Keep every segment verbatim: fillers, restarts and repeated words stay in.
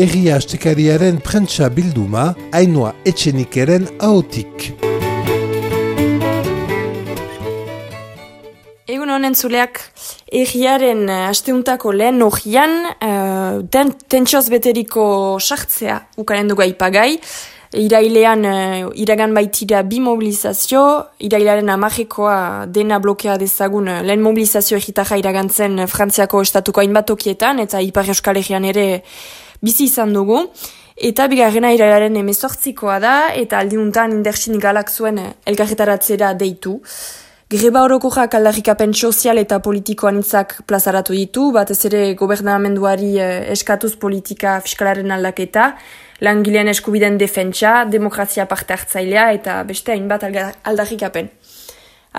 Egia Astekariaren prentsa bilduma, Ainhoa Etxenikeren ahotik. Egun honen zuleak, egiaren asteuntako lehen ogian, uh, ten, tentsioz beteriko sartzea ukaren dugu aipagai. Irailean, uh, iragan baitira bi mobilizazio, irailaren amajekoa dena blokea dezagun uh, lehen mobilizazio egitarra iragantzen uh, Frantziako estatuko hainbat tokietan, eta Ipar Euskal Herrian ere bizi izan dugu. Eta bigarrena irailaren emezortzikoa da, eta aldiuntan indertsin galak zuen uh, elkarretaratzera deitu. Greba orokorrak aldarrikapen sozial eta politiko anitzak plazaratu ditu, batez ere gobernamenduari eh, eskatuz politika fiskalaren aldaketa, langileen eskubiden defentsa, demokrazia parte hartzailea eta beste hainbat aldarrikapen.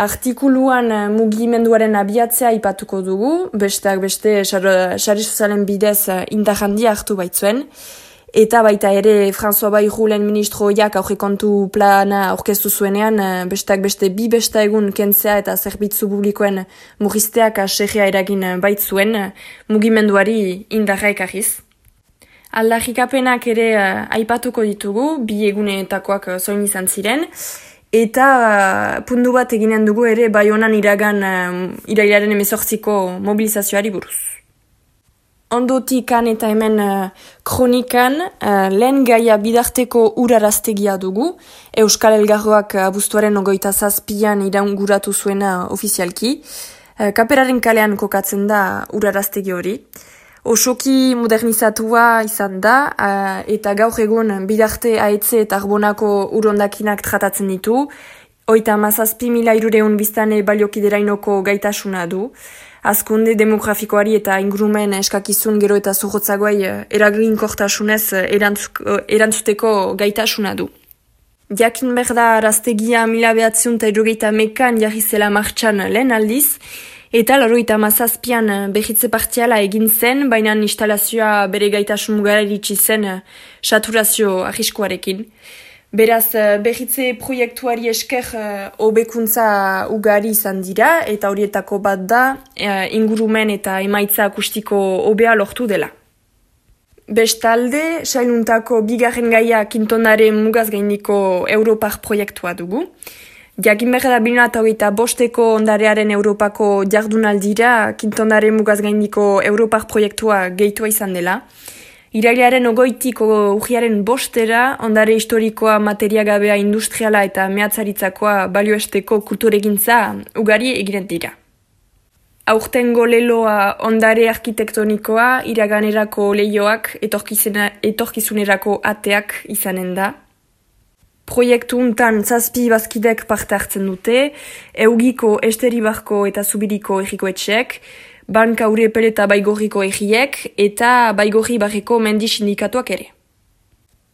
Artikuluan eh, mugimenduaren abiatzea aipatuko dugu, besteak beste sare sozialen bidez eh, indar handia hartu baitzuen, eta baita ere François Bayrou lehen ministroiak aurrekontu plana aurkeztu zuenean, besteak beste bi besta egun kentzea eta zerbitzu publikoen murrizteak aserrea eragin baitzuen mugimenduari indarra ekarriz. Aldarrikapenak ere uh, aipatuko ditugu, bi egunetakoak zoin izan ziren, eta uh, puntu bat eginen dugu ere Baionan iragan uh, irailaren emezortziko mobilizazioari buruz. Ondotikan eta hemen uh, kronikan uh, lehen gaia bidarteko uraraztegia dugu. Euskal Elgarroak abuztuaren ogoita zazpian iraunguratu zuena ofizialki. Uh, Kaperaren kalean kokatzen da uraraztegi hori. Osoki modernizatua izan da, uh, eta gaur egun bidarte ahetze eta arbonako urondakinak tratatzen ditu. Oita mazazpi mila irureun biztane baliokiderainoko gaitasuna du. Azkunde demografikoari eta ingurumen eskakizun gero eta zurrotzagoai eraginkortasunez erantzuteko gaitasuna du. Jakin berda araztegia mila behatziun eta erogeita mekan jarri zela martxan lehen aldiz, eta laroita mazazpian behitze partiala egin zen, baina instalazioa bere gaitasun mugara iritsi zen saturazio arriskuarekin. Beraz, behitze proiektuari esker hobekuntza ugari izan dira, eta horietako bat da ingurumen eta emaitza akustiko hobea lortu dela. Bestalde, sailuntako bigarren gaia Kintondare mugaz gaindiko Europar proiektua dugu. Jakin behar da biluna eta hogeita bosteko ondarearen Europako jardunaldira Kintondare mugaz gaindiko Europar proiektua gehitua izan dela. Irailaren ogoitiko urriaren bostera, ondare historikoa, materiagabea, industriala eta mehatzaritzakoa balioesteko kulturegintza ugari eginen dira. Aurtengo leloa ondare arkitektonikoa, iraganerako lehioak, etorkizunerako ateak izanen da. Proiektu untan zazpi bazkidek parte hartzen dute, Eugiko, Esteribarko eta Zubiriko errikoetxeek, Banka Urepel eta Baigorriko egiek eta Baigorri barreko mendi sindikatuak ere.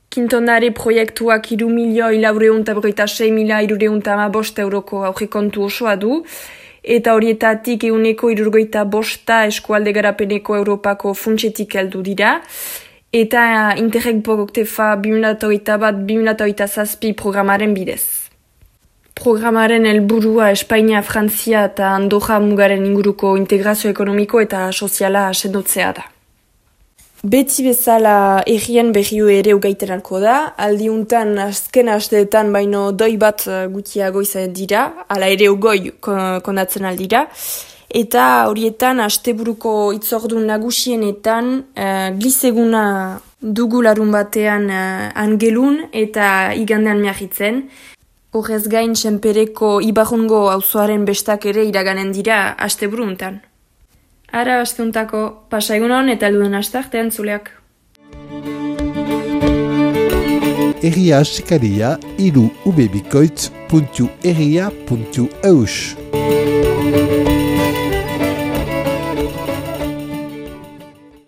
Kintondare proiektuak iru milioi laureun eta berroita sei mila irureun eta hamabost euroko aurrekontu osoa du, eta horietatik euneko irurgoita bosta eskualde garapeneko Europako funtsetik heldu dira, eta Interreg Proktefa bi mila hogeita bat bi mila hogeita zazpi programaren bidez. Programaren helburua Espainia, Frantzia eta Andorra mugaren inguruko integrazio ekonomiko eta soziala sendotzea da. Beti bezala errien berrio ere ugaitenalko da, aldiuntan azken asteetan baino doi bat gutiago izan dira, ala ere ugoi konatzen aldira, eta horietan asteburuko itzordun nagusienetan uh, gliseguna dugu larun batean uh, angelun eta igandean miahitzen. Horrez gain senpereko Ibarrungo auzoaren bestak ere iraganen dira asteburuntan. Ara asteuntako pasaigun eta helduen astartean zuleak. Egia Astekaria hiru ubebikoitz puntu egia puntu eus.